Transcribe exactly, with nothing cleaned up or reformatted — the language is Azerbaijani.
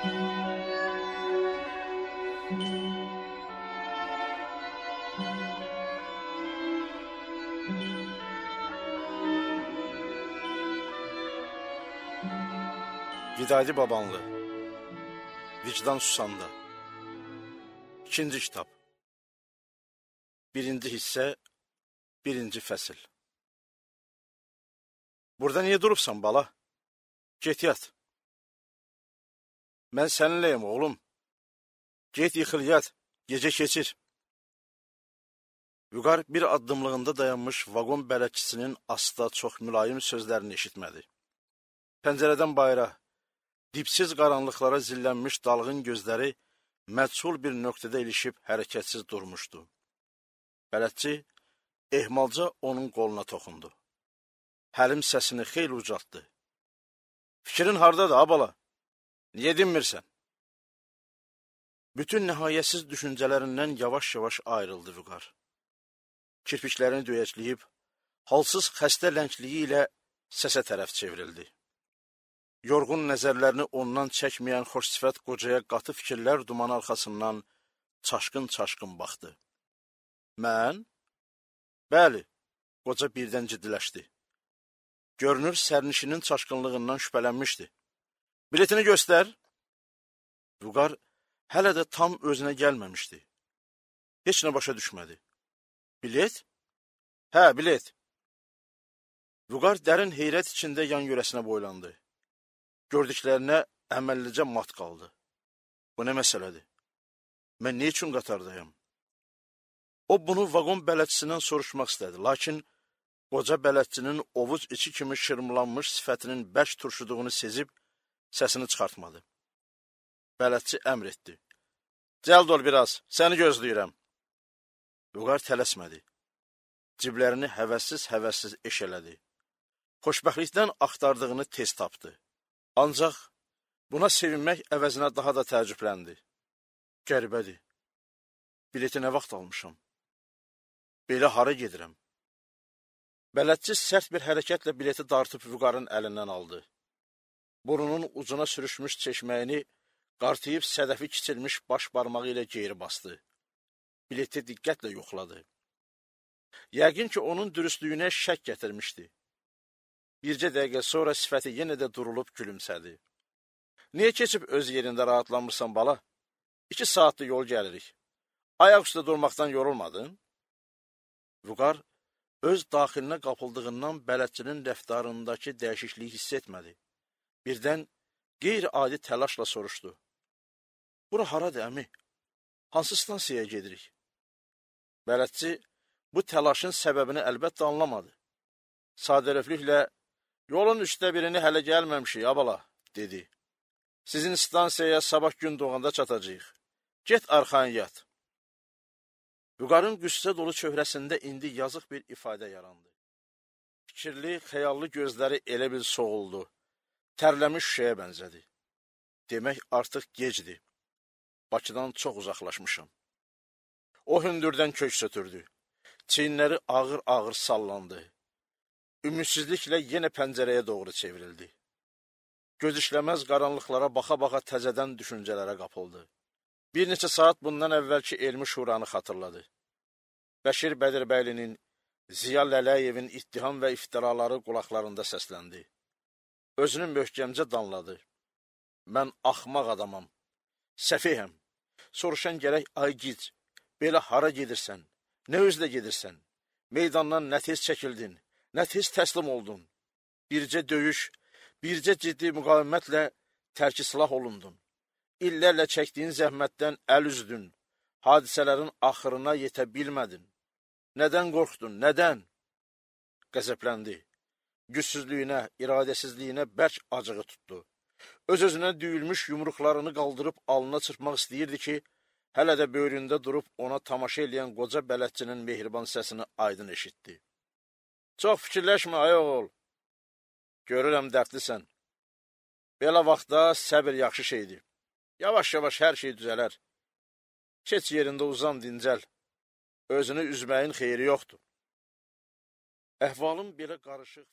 Vidadi Babanlı, Vicdan Susanda. İkinci kitab. Birinci hissə, birinci fəsil. Burada niyə durubsan, bala? Get yat. Mən səninləyim, oğlum. Get yıxıl yat, gecə keçir. Vüqar bir addımlığında dayanmış vaqon bələdçisinin asta çox mülayim sözlərini eşitmədi. Pəncərədən bayıra, dipsiz qaranlıqlara zillənmiş dalğın gözləri məchul bir nöqtədə ilişib hərəkətsiz durmuşdu. Bələdçi ehmalca onun qoluna toxundu. Həlim səsini xeyli ucaltdı. Fikrin hardadır, abala? Niyə dinmirsən? Bütün nihayətsiz düşüncələrindən yavaş-yavaş ayrıldı Vüqar. Kirpiklərini döyəcləyib, halsız xəstə lənkliyi ilə səsə tərəf çevrildi. Yorğun nəzərlərini ondan çəkməyən xoş sifət qocaya qatı fikirlər dumanı arxasından çaşqın-çaşqın baxdı. Mən? Bəli, qoca birdən ciddiləşdi. Görünür, sərnişinin çaşqınlığından şübhələnmişdi. Biletini göstər. Vüqar hələ də tam özünə gəlməmişdi. Heç nə başa düşmədi. Bilet? Hə, bilet. Vüqar dərin heyrət içində yan yörəsinə boylandı. Gördüklərinə əməllicə mat qaldı. Bu nə məsələdir? Mən nə üçün qatardayım? O bunu vaqon bələdçisindən soruşmaq istədi, lakin qoca bələdçinin ovuc içi kimi şırmlanmış sifətinin bərk turşuduğunu sezib, səsini çıxartmadı. Bələdçi əmr etdi. Cəld ol biraz, səni gözləyirəm. Vüqar tələsmədi. Ciblərini həvəssiz-həvəssiz eşələdi. Xoşbəxtlikdən axtardığını tez tapdı. Ancaq buna sevinmək əvəzinə daha da təəccübləndi. Qəribədir. Bileti nə vaxt almışam? Belə hara gedirəm? Bələdçi sərt bir hərəkətlə bileti dartıb Vüqarın əlindən aldı. Burnunun ucuna sürüşmüş çeşməyini qartıyıb sədəfi kiçilmiş baş barmağı ilə geri bastı. Bileti diqqətlə yoxladı. Yəqin ki, onun dürüstlüyünə şək gətirmişdi. Bircə dəqiqə sonra sifəti yenə də durulub gülümsədi. Niyə keçib öz yerində rahatlanmırsan, bala? İki saatlı yol gəlirik. Ayaq üstə durmaqdan yorulmadın? Vüqar öz daxilinə qapıldığından bələdçinin rəftarındakı dəyişikliyi hiss etmədi. Birdən qeyri-adi təlaşla soruşdu. Bura haradır, əmi? Hansı stansiyaya gedirik? Bələdçi bu təlaşın səbəbini əlbəttə anlamadı. Sadəlövlüklə, yolun üstə birini hələ gəlməmişik, abala, dedi. Sizin stansiyaya sabah gün doğanda çatacağıq. Get arxayın yat. Vüqarın qüssə dolu çöhrəsində indi yazıq bir ifadə yarandı. Fikirli, xəyallı gözləri elə bil soğuldu. Tərləmiş şüşəyə bənzədi. Demək artıq gecdir. Bakıdan çox uzaqlaşmışam. O hündürdən kök sötürdü. Çiyinləri ağır-ağır sallandı. Ümidsizliklə yenə pəncərəyə doğru çevrildi. Göz işləməz qaranlıqlara baxa-baxa təzədən düşüncələrə qapıldı. Bir neçə saat bundan əvvəlki elmi şuranı xatırladı. Bəşir Bədirbəylinin, Ziya Lələyevin ittiham və iftiraları qulaqlarında səsləndi. Özünü möhkəmcə danladı. Mən axmaq adamam, səfihəm. Soruşan gərək, ay gic, belə hara gedirsən, nə özlə gedirsən? Meydandan nə tez çəkildin, nə tez təslim oldun? Bircə döyüş, bircə ciddi müqavimətlə tərki silah olundun. İllərlə çəkdiyin zəhmətdən əl üzdün, hadisələrin axırına yetə bilmədin. Nədən qorxdun, nədən? Qəzəbləndi. Gücsüzlüyünə, iradəsizliyinə bərk acığı tutdu. Öz-özünə düyülmüş yumruqlarını qaldırıb alnına çırpmaq istəyirdi ki, hələ də böyründə durub ona tamaşa eləyən qoca bələdçinin mehriban səsini aydın eşitdi. Çox fikirləşmə, ay oğul. Görürəm dərdlisən. Belə vaxtda səbir yaxşı şeydir. Yavaş-yavaş hər şey düzələr. Keç yerində uzan, dincəl. Özünü üzməyin xeyri yoxdur. Əhvalın belə qarışıq